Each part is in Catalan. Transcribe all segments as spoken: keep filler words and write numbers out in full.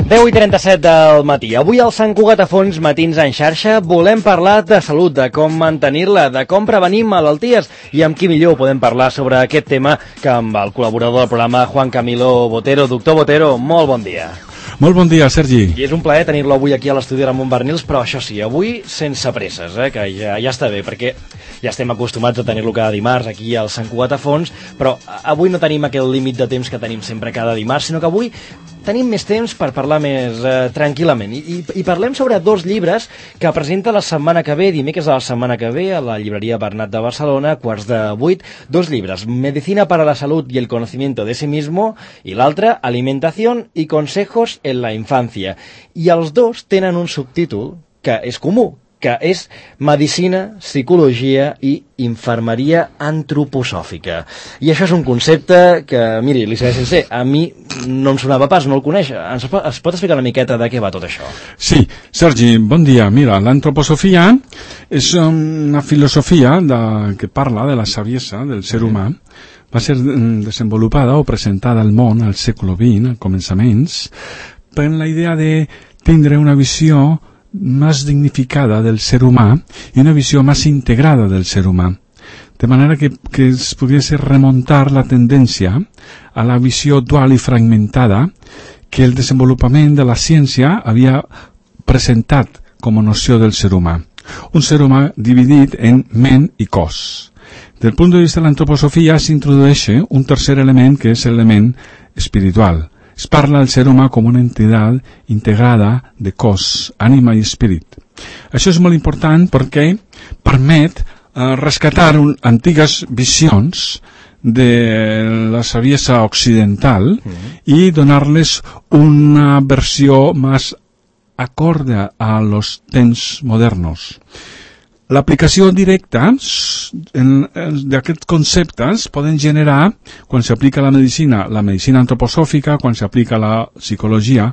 deu i trenta-set del matí. Avui al Sant Cugat a Fons Matins en xarxa volem parlar de salut, de com mantenir-la, de com prevenir malalties i amb qui millor podem parlar sobre aquest tema que amb el col·laborador del programa, Juan Camilo Botero. Doctor Botero, molt bon dia. Molt bon dia, Sergi. I és un plaer tenir-lo avui aquí a l'estudi de Ramon Barnils, però això sí, avui sense presses, eh, que ja, ja està bé, perquè ja estem acostumats a tenir-lo cada dimarts aquí al Sant Cugat a Fons, però avui no tenim aquell límit de temps que tenim sempre cada dimarts, sinó que avui tenim més temps per parlar més eh, tranquil·lament. I, i, I parlem sobre dos llibres que presenta la setmana que ve, dimecres de la setmana que ve, a la llibreria Bernat de Barcelona, quarts de vuit, dos llibres, Medicina para la salud y el conocimiento de sí mismo, i l'altre, Alimentación y consejos en la infancia. I els dos tenen un subtítol que és comú, que és Medicina, Psicologia i Infermeria Antroposòfica. I això és un concepte que, miri, li seré sincer, a mi no em sonava pas, no el coneix. Ens pot, es pot explicar una miqueta de què va tot això? Sí, Sergi, bon dia. Mira, l'antroposofia és una filosofia de, que parla de la saviesa del ser humà. Va ser desenvolupada o presentada al món al segle vint, a començaments, per la idea de tindre una visió más dignificada del ser humà y una visión más integrada del ser humà. De manera que, que es pudiese remontar la tendencia a la visió dual i fragmentada que el desenvolupament de la ciència havia presentat com a noció del ser humà. Un ser humà dividit en ment i cos. Del punt de vista de l'antroposofia s'introdueix un tercer element que és l'element espiritual. Es parla del ser humà com una entitat integrada de cos, ànima i espírit. Això és molt important perquè permet eh, rescatar un, antigues visions de la saviesa occidental mm. i donar-les una versió més acorde a los temps modernos. L'aplicació directa d'aquests conceptes poden generar, quan s'aplica la medicina, la medicina antroposòfica, quan s'aplica la psicologia,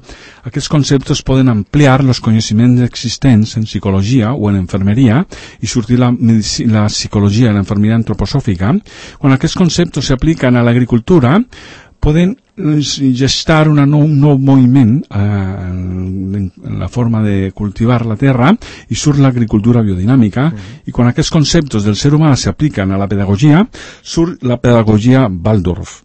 aquests conceptes poden ampliar els coneixements existents en psicologia o en enfermeria i sortir la, la psicologia i l'enfermeria antroposòfica. Quan aquests conceptes s'apliquen a l'agricultura, poden gestar un nou, nou moviment eh, en, en la forma de cultivar la terra i surt l'agricultura biodinàmica mm. i quan aquests conceptes del ser humà s'apliquen a la pedagogia, surt la pedagogia Waldorf.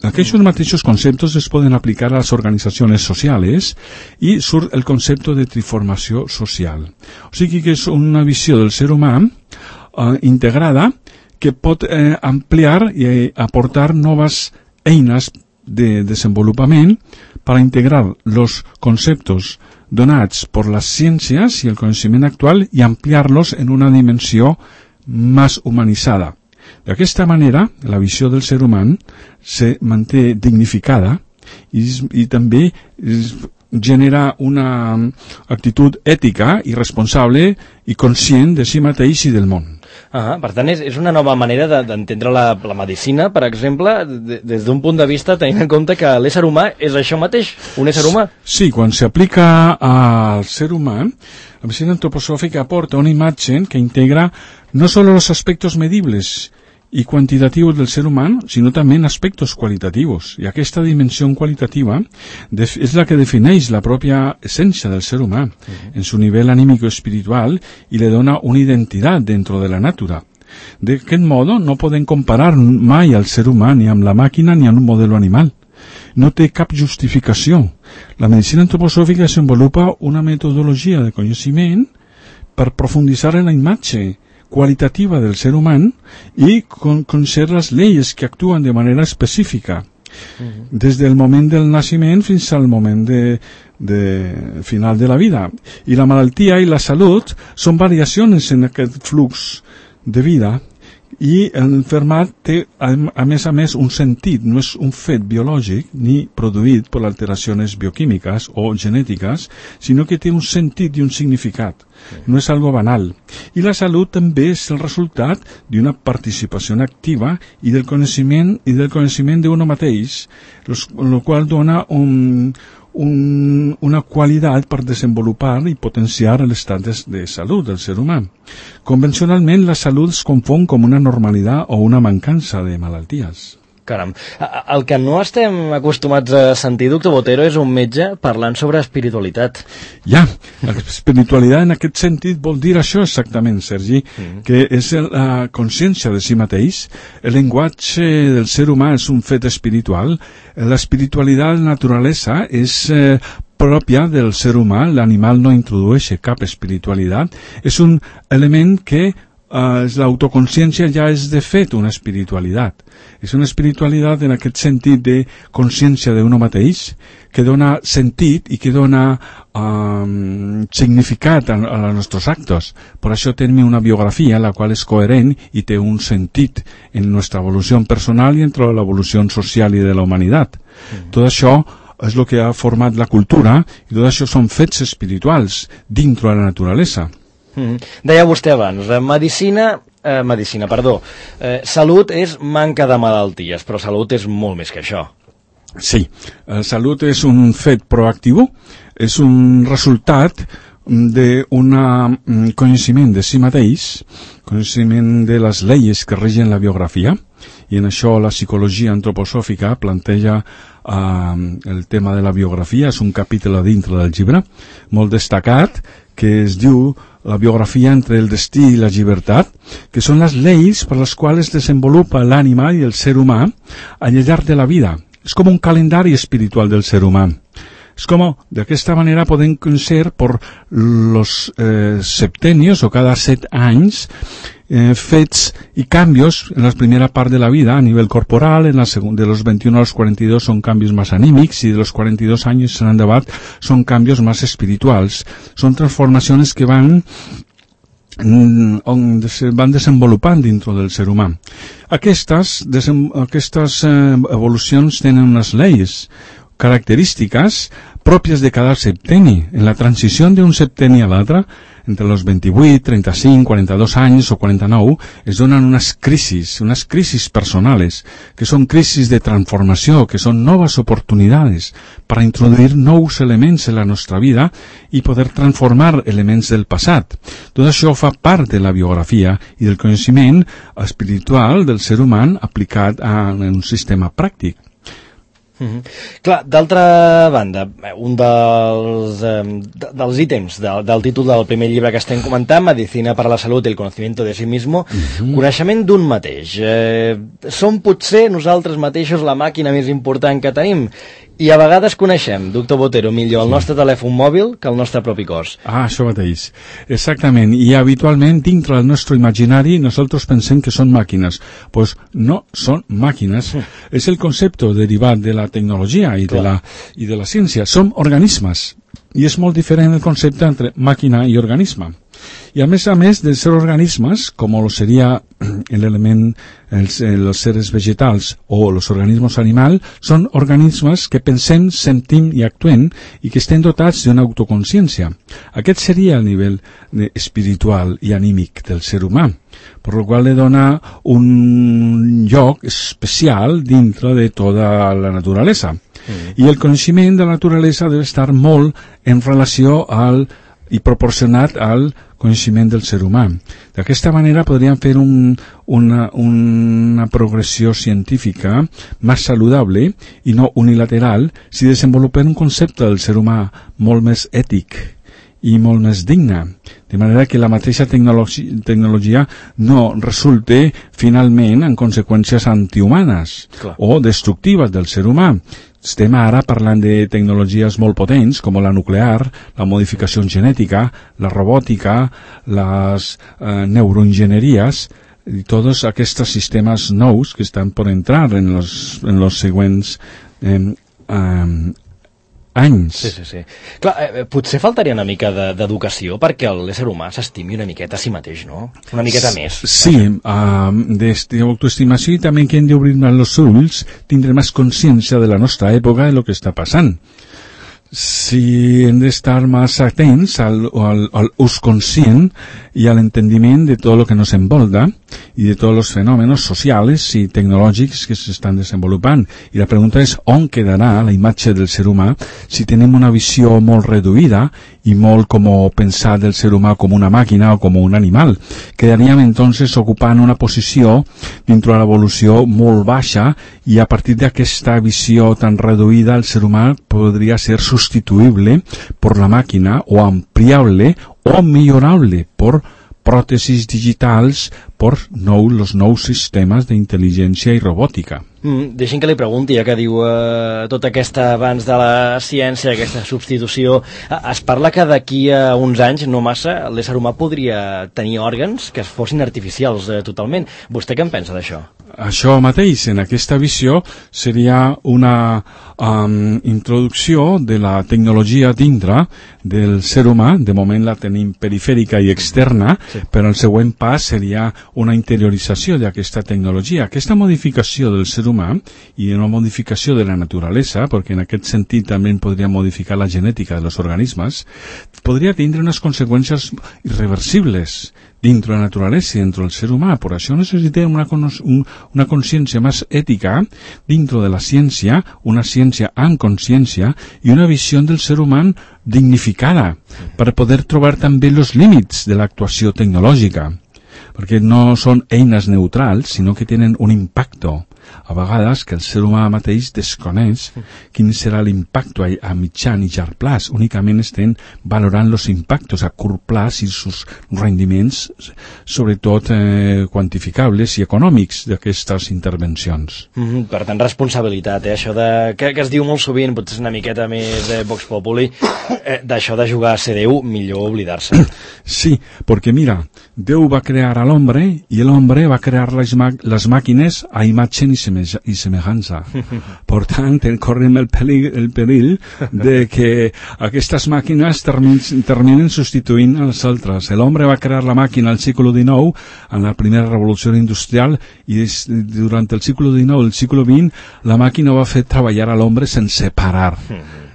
Aquests mateixos conceptes es poden aplicar a les organitzacions socials i surt el concepte de triformació social. O sigui que és una visió del ser humà eh, integrada que pot eh, ampliar i eh, aportar noves eines de desenvolupament per integrar els conceptes donats per les ciències i el coneixement actual i ampliar-los en una dimensió més humanitzada. D'aquesta manera, la visió del ser humà se manté dignificada i, i també es, genera una actitud ètica i responsable i conscient de si mateix i del món. Ah, per tant, és, és una nova manera d'entendre de, la, la medicina, per exemple, de, des d'un punt de vista tenint en compte que l'ésser humà és això mateix, un ésser humà. Sí, quan s'aplica al ser humà, la medicina antroposòfica aporta una imatge que integra no solo los aspectos medibles i quantitatius del ser humà, sinó també en aspectes qualitatius. I aquesta dimensió qualitativa és la que defineix la pròpia essència del ser humà, uh-huh. en su nivell anímico espiritual i le dona una identitat dentro de la natura. D'aquest modo no podem comparar mai al ser humà ni amb la màquina ni amb un model animal. No té cap justificació. La medicina antroposòfica desenvolupa una metodologia de coneixement per profunditzar en la imatge qualitativa del ser humà i con conèixer les lleis que actuen de manera específica uh-huh. des del moment del naixement fins al moment de, de final de la vida. I la malaltia i la salut són variacions en aquest flux de vida i l'enfermat té a, a més a més un sentit, no és un fet biològic ni produït per alteracions bioquímiques o genètiques, sinó que té un sentit i un significat. No és algo banal. I la salut també és el resultat d'una participació activa i del coneixement i del coneixement d'un mateix, el qual dona un, un, una qualitat per desenvolupar i potenciar l'estat de, de salut del ser humà. Convencionalment, la salut es confon com una normalitat o una mancança de malalties. Caram, el que no estem acostumats a sentir, doctor Botero, és un metge parlant sobre espiritualitat. Ja, l'espiritualitat en aquest sentit vol dir això exactament, Sergi, mm. que és la consciència de si mateix. El llenguatge del ser humà és un fet espiritual. L'espiritualitat de la naturalesa és eh, pròpia del ser humà. L'animal no introdueix cap espiritualitat. És un element que Uh, l'autoconsciència ja és de fet una espiritualitat. És una espiritualitat en aquest sentit de consciència d'un mateix que dona sentit i que dona um, significat a, a els nostres actes. Per això tenim una biografia la qual és coherent i té un sentit en nostra evolució personal i entre l'evolució social i de la humanitat. Mm. Tot això és el que ha format la cultura i tot això són fets espirituals dintre de la naturalesa. Mm. Deia vostè abans, medicina, eh, medicina, perdó, eh, salut és manca de malalties, però salut és molt més que això. Sí, la salut és un fet proactiu, és un resultat d'un coneixement de si mateix, coneixement de les lleis que regen la biografia, i en això la psicologia antroposòfica planteja uh, el tema de la biografia, és un capítol dintre del llibre, molt destacat, que es diu la biografia entre el destí i la llibertat, que són les lleis per les quals es desenvolupa l'ànima i el ser humà al llarg de la vida. És com un calendari espiritual del ser humà. És com, d'aquesta manera podem conèixer per los eh, septenios o cada set anys eh, fets i canvis en la primera part de la vida a nivell corporal, en la segunda, de los veintiuno a los cuarenta y dos són canvis més anímics i de los cuarenta y dos anys en endavant són canvis més espirituals. Són transformacions que van on se van desenvolupant dintre del ser humà. Aquestes, desem, aquestes eh, evolucions tenen unes lleis característiques pròpies de cada septeni. En la transició d'un septeni a l'altre, entre els vint-i-vuit, trenta-cinc, quaranta-dos anys o quaranta-nou, es donen unes crisis, unes crisis personales, que són crisis de transformació, que són noves oportunitats per introduir nous elements en la nostra vida i poder transformar elements del passat. Tot això fa part de la biografia i del coneixement espiritual del ser humà aplicat a un sistema pràctic. Mm-hmm. Clar, d'altra banda, un dels, eh, dels ítems del, del títol del primer llibre que estem comentant, Medicina para la Salud y el Conocimiento de sí mismo, mm-hmm. coneixement d'un mateix. Eh, som potser nosaltres mateixos la màquina més important que tenim i a vegades coneixem, doctor Botero, millor el nostre telèfon mòbil que el nostre propi cos. Ah, això mateix. Exactament. I habitualment, dintre del nostre imaginari, nosaltres pensem que són màquines. Pues no són màquines. Mm. És el concepte derivat de la tecnologia i de la, i de la ciència. Som organismes. I és molt diferent el concepte entre màquina i organisme. I a més a més de ser organismes, com lo seria l'element, els, els seres vegetals o els organismes animals, són organismes que pensem, sentim i actuem i que estem dotats d'una autoconsciència. Aquest seria el nivell espiritual i anímic del ser humà, per lo qual li dona un lloc especial dintre de tota la naturalesa. Mm. I el coneixement de la naturalesa deu estar molt en relació al i proporcionat al coneixement del ser humà. D'aquesta manera podríem fer un, una, una progressió científica més saludable i no unilateral si desenvolupem un concepte del ser humà molt més ètic i molt més digne, de manera que la mateixa tecnologi tecnologia no resulte finalment en conseqüències antihumanes Clar. o destructives del ser humà. Estem ara parlant de tecnologies molt potents com la nuclear, la modificació genètica, la robòtica, les eh, neuroenginyeries i tots aquests sistemes nous que estan per entrar en els en los següents eh, eh, anys. Sí, sí, sí. Clar, eh, potser faltaria una mica d'educació perquè l'ésser humà s'estimi una miqueta a si mateix, no? Una miqueta més. Sí, uh, d'autoestimació i també que hem d'obrir més els ulls, tindre més consciència de la nostra època i el que està passant. Si hem d'estar més atents al, al, al ús conscient i a l'entendiment de tot el que nos envolta i de tots els fenòmenos socials i tecnològics que s'estan desenvolupant. I la pregunta és on quedarà la imatge del ser humà si tenim una visió molt reduïda y molt como pensar del ser humà com una màquina o com un animal. Quedaríem entonces ocupant una posició dintre de l'evolució molt baixa i a partir d'aquesta visió tan reduïda el ser humà podria ser substituïble per la màquina o ampliable o millorable per pròtesis digitals, per nou, los nous sistemes d'intel·ligència i robòtica. Mm, deixin que li pregunti, ja que diu eh, tota aquesta avanç de la ciència, aquesta substitució, eh, es parla que d'aquí a uns anys, no massa, l'ésser humà podria tenir òrgans que fossin artificials eh, totalment. Vostè què en pensa d'això? Això mateix, en aquesta visió, seria una um, introducció de la tecnologia dintre del ser humà. De moment la tenim perifèrica i externa, sí. Però el següent pas seria una interiorització d'aquesta tecnologia. Aquesta modificació del ser humà i una modificació de la naturalesa, perquè en aquest sentit també podria modificar la genètica dels organismes, podria tindre unes conseqüències irreversibles dintre la naturalesa i dintre del ser humà. Per això necessitem una, un, una consciència més ètica dintre de la ciència, una ciència amb consciència i una visió del ser humà dignificada per poder trobar també els límits de l'actuació tecnològica, perquè no són eines neutrals, sinó que tenen un impacte. A vegades que el ser humà mateix desconeix quin serà l'impacte a, a mitjan i llarg plaç. Únicament estem valorant els impactes a curt plaç i els rendiments, sobretot eh, quantificables i econòmics d'aquestes intervencions. Mm-hmm, per tant, responsabilitat, eh? Això de, que, que es diu molt sovint, potser una miqueta més de Vox Populi, eh, d'això de jugar a ser Déu, millor oblidar-se. Sí, perquè mira, Déu va crear a l'home i l'home va crear les, les màquines a imatge i i semejança. Per tant, correm el perill, el perill de que aquestes màquines terminen, terminen substituint a les altres. L'home va crear la màquina al segle dinou, en la primera revolució industrial, i des, durant el segle dinou i el segle vint, la màquina va fer treballar a l'home sense parar.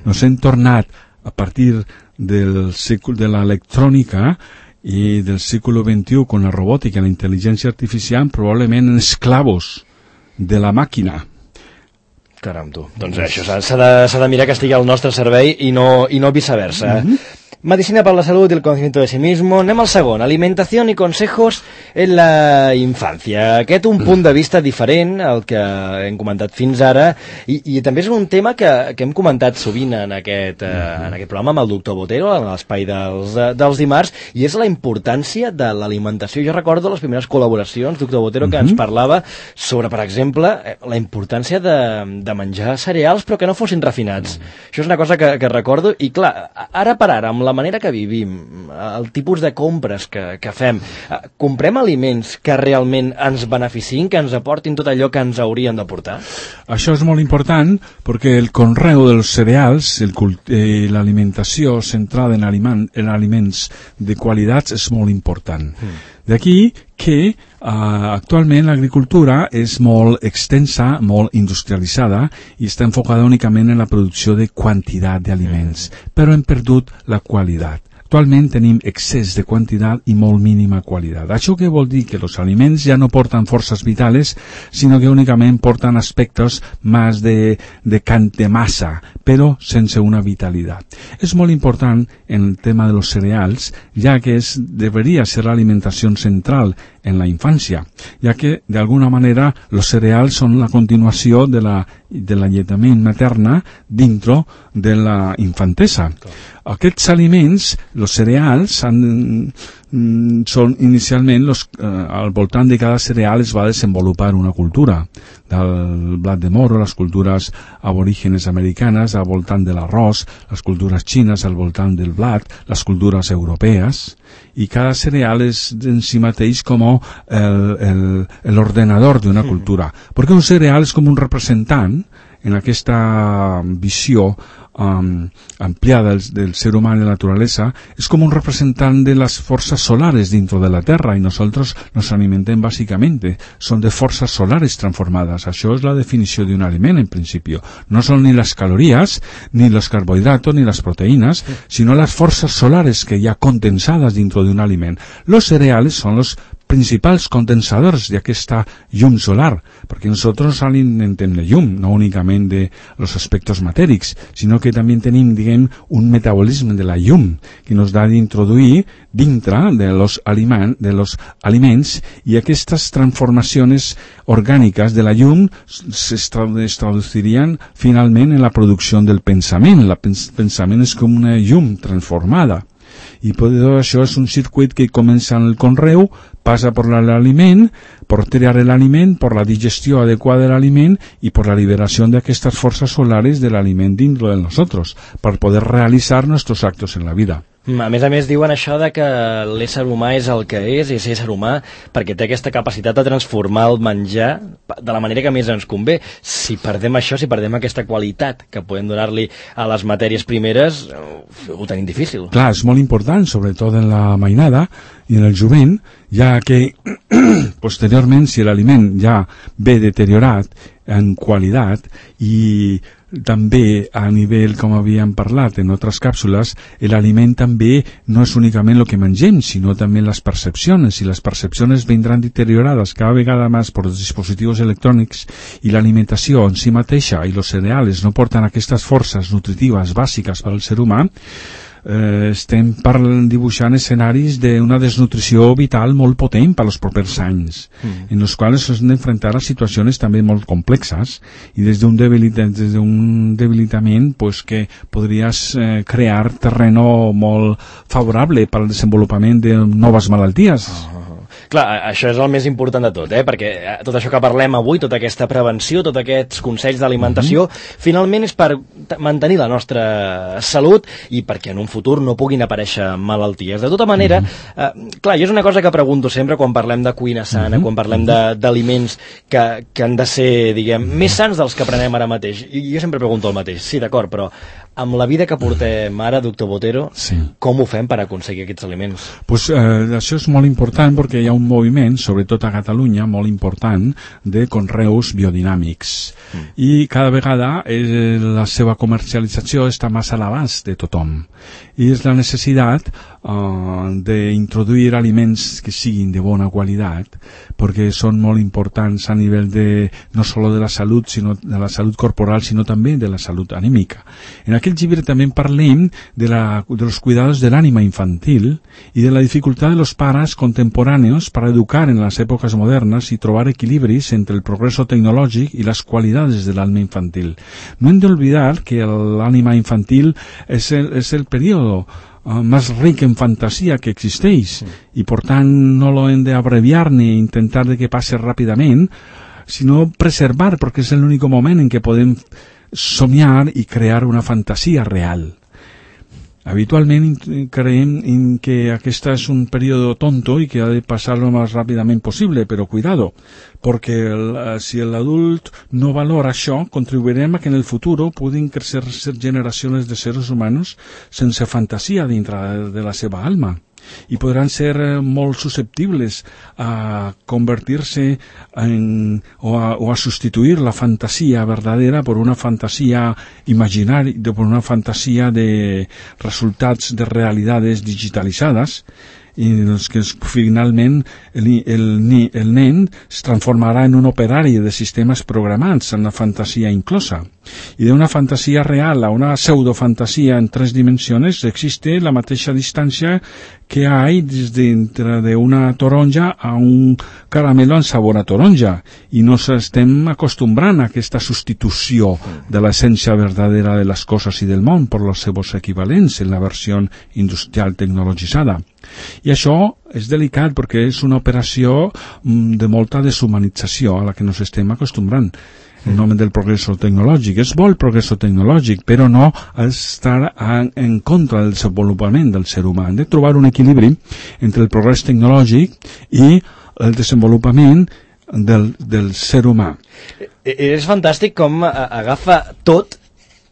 Nos hem tornat, a partir del segle de l'electrònica i del segle vint-i-u, con la robòtica i la intel·ligència artificial, probablement en esclavos de la màquina. Caram, tu. Doncs això, s'ha de, s'ha de mirar que estigui al nostre servei i no, i no viceversa. Mm-hmm. Medicina para la salud y el conocimiento de sí mismo. Anem al segon. Alimentación y consejos en la infancia. Aquest un punt de vista diferent al que hem comentat fins ara i, i també és un tema que, que hem comentat sovint en aquest, eh, en aquest programa amb el doctor Botero, en l'espai dels, dels dimarts, i és la importància de l'alimentació. Jo recordo les primeres col·laboracions, doctor Botero, que ens parlava sobre, per exemple, la importància de, de menjar cereals però que no fossin refinats. Això és una cosa que, que recordo i, clar, ara per ara, amb la manera que vivim, el tipus de compres que, que fem, comprem aliments que realment ens beneficien, que ens aportin tot allò que ens haurien d'aportar? Això és molt important perquè el conreu dels cereals, el eh, l'alimentació centrada en, aliment, en aliments de qualitat és molt important. Mm. D'aquí que uh, actualment l'agricultura és molt extensa, molt industrialitzada i està enfocada únicament en la producció de quantitat d'aliments, però hem perdut la qualitat. Actualment tenim excés de quantitat i molt mínima qualitat. Això què vol dir? Que els aliments ja no porten forces vitales, sinó que únicament porten aspectes més de, de cant de massa, però sense una vitalitat. És molt important en el tema de los cereals, ja que es, deberia ser l'alimentació central en la infància, ja que d'alguna manera els cereals són la continuació de la de la lletament materna dintre de la infantesa. Aquests aliments, els cereals, han, mm, són inicialment, los, eh, al voltant de cada cereal es va desenvolupar una cultura, del blat de moro, les cultures aborígenes americanes al voltant de l'arròs, les cultures xines al voltant del blat, les cultures europees, i cada cereal és en si mateix com l'ordenador d'una cultura, perquè un cereal és com un representant en aquesta visió um, ampliada del, del ser humà i de la naturalesa, és com un representant de les forces solares dintre de la Terra, i nosaltres nos alimentem bàsicament, són de forces solares transformades. Això és la definició d'un aliment en principi. No són ni les calories, ni els carbohidratos, ni les proteïnes, sinó les forces solares que hi ha condensades dintre d'un aliment. Los cereals són los principals condensadors d'aquesta llum solar, perquè nosaltres alimentem la llum, no únicament de los aspectos matèrics, sinó que també tenim, diguem, un metabolisme de la llum que nos ha d'introduir dintre de los, aliment, de los aliments, i aquestes transformacions orgàniques de la llum es traducirían finalment en la producció del pensament. El pensament és com una llum transformada. I per això és un circuit que comença en el conreu, passa per l'aliment, per triar l'aliment, per la digestió adequada de l'aliment i per la liberació d'aquestes forces solares de l'aliment dins de nosaltres, per poder realitzar nostres actos en la vida. A més a més diuen això de que l'ésser humà és el que és, és ésser humà perquè té aquesta capacitat de transformar el menjar de la manera que més ens convé. Si perdem això, si perdem aquesta qualitat que podem donar-li a les matèries primeres, ho tenim difícil. Clar, és molt important, sobretot en la mainada i en el jovent, ja que posteriorment, si l'aliment ja ve deteriorat en qualitat i també a nivell, com havíem parlat en altres càpsules, l'aliment també no és únicament el que mengem, sinó també les percepcions, i les percepcions vindran deteriorades cada vegada més per els dispositius electrònics, i l'alimentació en si mateixa i els cereals no porten aquestes forces nutritives bàsiques per al ser humà. Eh, estem parlant, dibuixant escenaris d'una desnutrició vital molt potent per als propers anys, mm. en els quals s'han d'enfrontar a situacions també molt complexes i des d'un debilitat, des d'un debilitament pues, que podries eh, crear terreno molt favorable per al desenvolupament de noves malalties. Oh. Clar, això és el més important de tot, eh? Perquè tot això que parlem avui, tota aquesta prevenció, tots aquests consells d'alimentació, mm-hmm. finalment és per mantenir la nostra salut i perquè en un futur no puguin aparèixer malalties. De tota manera, mm-hmm. eh, clar, jo és una cosa que pregunto sempre quan parlem de cuina sana, mm-hmm. quan parlem d'aliments que, que han de ser, diguem, més sants dels que prenem ara mateix. I jo sempre pregunto el mateix, sí, d'acord, però amb la vida que portem ara, doctor Botero, sí. com ho fem per aconseguir aquests aliments? Pues, eh, això és molt important perquè hi ha un moviment, sobretot a Catalunya, molt important, de conreus biodinàmics. Mm. I cada vegada eh, la seva comercialització està més a l'abast de tothom. I és la necessitat uh, d'introduir aliments que siguin de bona qualitat, perquè són molt importants a nivell de, no solo de la salut, sinó de la salut corporal, sinó també de la salut anímica. En aquell llibre també parlem de, la, de los cuidados de l'ànima infantil i de la dificultat de los pares contemporáneos para educar en las épocas modernas y trobar equilibris entre el progreso tecnológico y las cualidades del alma infantil. No hem de olvidar que l'ànima infantil és el, és el período uh, més ric en fantasia que existeix, sí. i per tant no lo hem d'abreviar ni intentar de que passe ràpidament, sinó preservar, perquè és l'únic moment en què podem somiar i crear una fantasia real. Habitualment creiem en que aquest és un període tonto i que ha de passar lo més ràpidament possible, però cuidado, perquè el, si l'adult no valora això, contribuirem a que en el futur puguin crecer generacions de seres humanos sense fantasia dintre de la seva alma. I podran ser molt susceptibles a convertir-se en, o, a, o a substituir la fantasia verdadera per una fantasia imaginària, per una fantasia de resultats de realitats digitalitzades, i doncs que finalment el, el, el nen es transformarà en un operari de sistemes programats en la fantasia inclosa. I d'una fantasia real a una pseudofantasia en tres dimensions existe la mateixa distància que ha des dintre d'una taronja a un caramelo en sabor a taronja, i no estem acostumbrant a aquesta substitució de l'essència verdadera de les coses i del món per els seus equivalents en la versió industrial tecnologitzada. I això és delicat perquè és una operació de molta deshumanització a la que ens estem acostumbrant en nom del progresso tecnològic. És bo el progresso tecnològic, però no estar en contra del desenvolupament del ser humà. Hem de trobar un equilibri entre el progrés tecnològic i el desenvolupament del, del ser humà. És fantàstic com agafa tot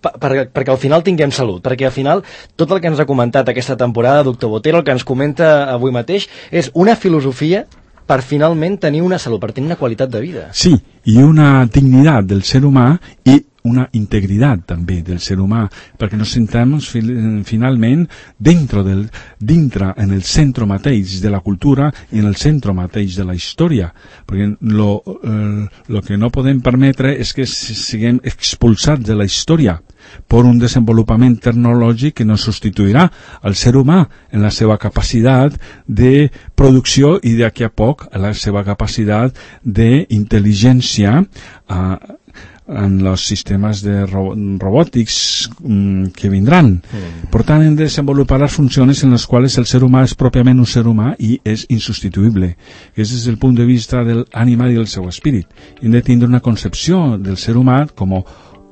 Per, perquè al final tinguem salut, perquè al final tot el que ens ha comentat aquesta temporada, doctor Botero, el que ens comenta avui mateix, és una filosofia per finalment tenir una salut, per tenir una qualitat de vida. Sí, i una dignitat del ser humà i una integridad també del ser humà, perquè nos sentamos fi- finalment dentro del, dintre, en el centre mateix de la cultura i en el centre mateix de la història, perquè lo, eh, lo que no podem permetre és que siguem expulsats de la història per un desenvolupament tecnològic que no substituirà al ser humà en la seva capacitat de producció i d'aquí a poc la seva capacitat d'intel·ligència eh, en els sistemes de ro robòtics mm, que vindran. Mm. Per tant, hem de desenvolupar les funcions en les quals el ser humà és pròpiament un ser humà i és insubstituïble. Aquest és el punt de vista del ànima i del seu espírit. Hem de tindre una concepció del ser humà com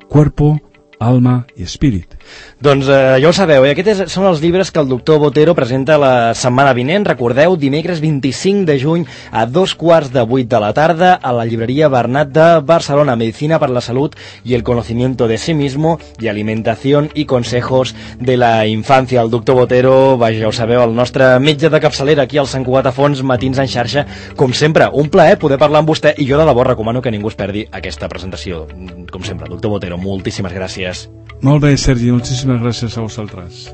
cuerpo, alma i espírit. Doncs eh, ja ho sabeu, i aquests són els llibres que el doctor Botero presenta la setmana vinent. Recordeu, dimecres vint-i-cinc de juny a dos quarts de vuit de la tarda a la llibreria Bernat de Barcelona. Medicina para la salud y el conocimiento de sí mismo y alimentación y consejos de la infancia. El doctor Botero, vaja, ja ho sabeu, el nostre metge de capçalera aquí al Sant Cugat a Fons, Matins en xarxa. Com sempre, un plaer poder parlar amb vostè i jo de debò recomano que ningú es perdi aquesta presentació. Com sempre, doctor Botero, moltíssimes gràcies. Molt bé, Sergi, moltíssimes gràcies a vosaltres.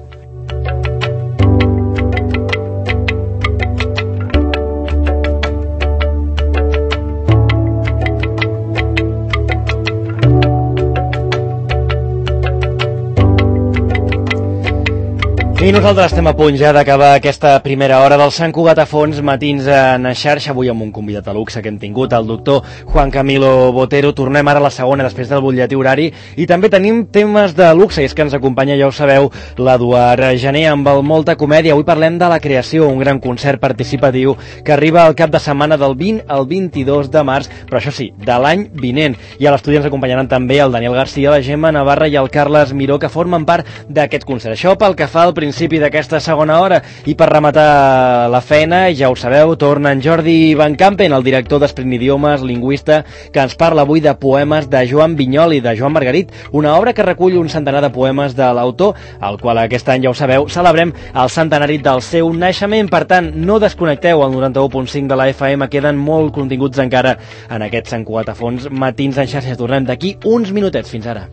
I nosaltres estem a punt ja d'acabar aquesta primera hora del Sant Cugat a Fons, Matins en xarxa, avui amb un convidat a luxe que hem tingut, el doctor Juan Camilo Botero. Tornem ara a la segona després del butlletí horari i també tenim temes de luxe, i és que ens acompanya, ja ho sabeu, l'Eduard Gené amb el Molta Comèdia. Avui parlem de La Creació, un gran concert participatiu que arriba al cap de setmana del vint al vint-i-dos de març, però això sí, de l'any vinent. I a l'estudi ens acompanyaran també el Daniel Garcia, la Gemma Navarra i el Carles Miró, que formen part d'aquest concert. Això pel que fa al principi d'aquesta segona hora. I per rematar la feina, ja ho sabeu, torna en Jordi Van Campen, el director d'Esprint Idiomes, lingüista, que ens parla avui de poemes de Joan Vinyoli, de Joan Margarit, una obra que recull un centenar de poemes de l'autor, al qual aquest any, ja ho sabeu, celebrem el centenari del seu naixement. Per tant, no desconnecteu el noranta-u punt cinc de la F M, queden molt continguts encara en aquest Sant Cugat a Fons, Matins en xarxa. Tornem d'aquí uns minutets. Fins ara.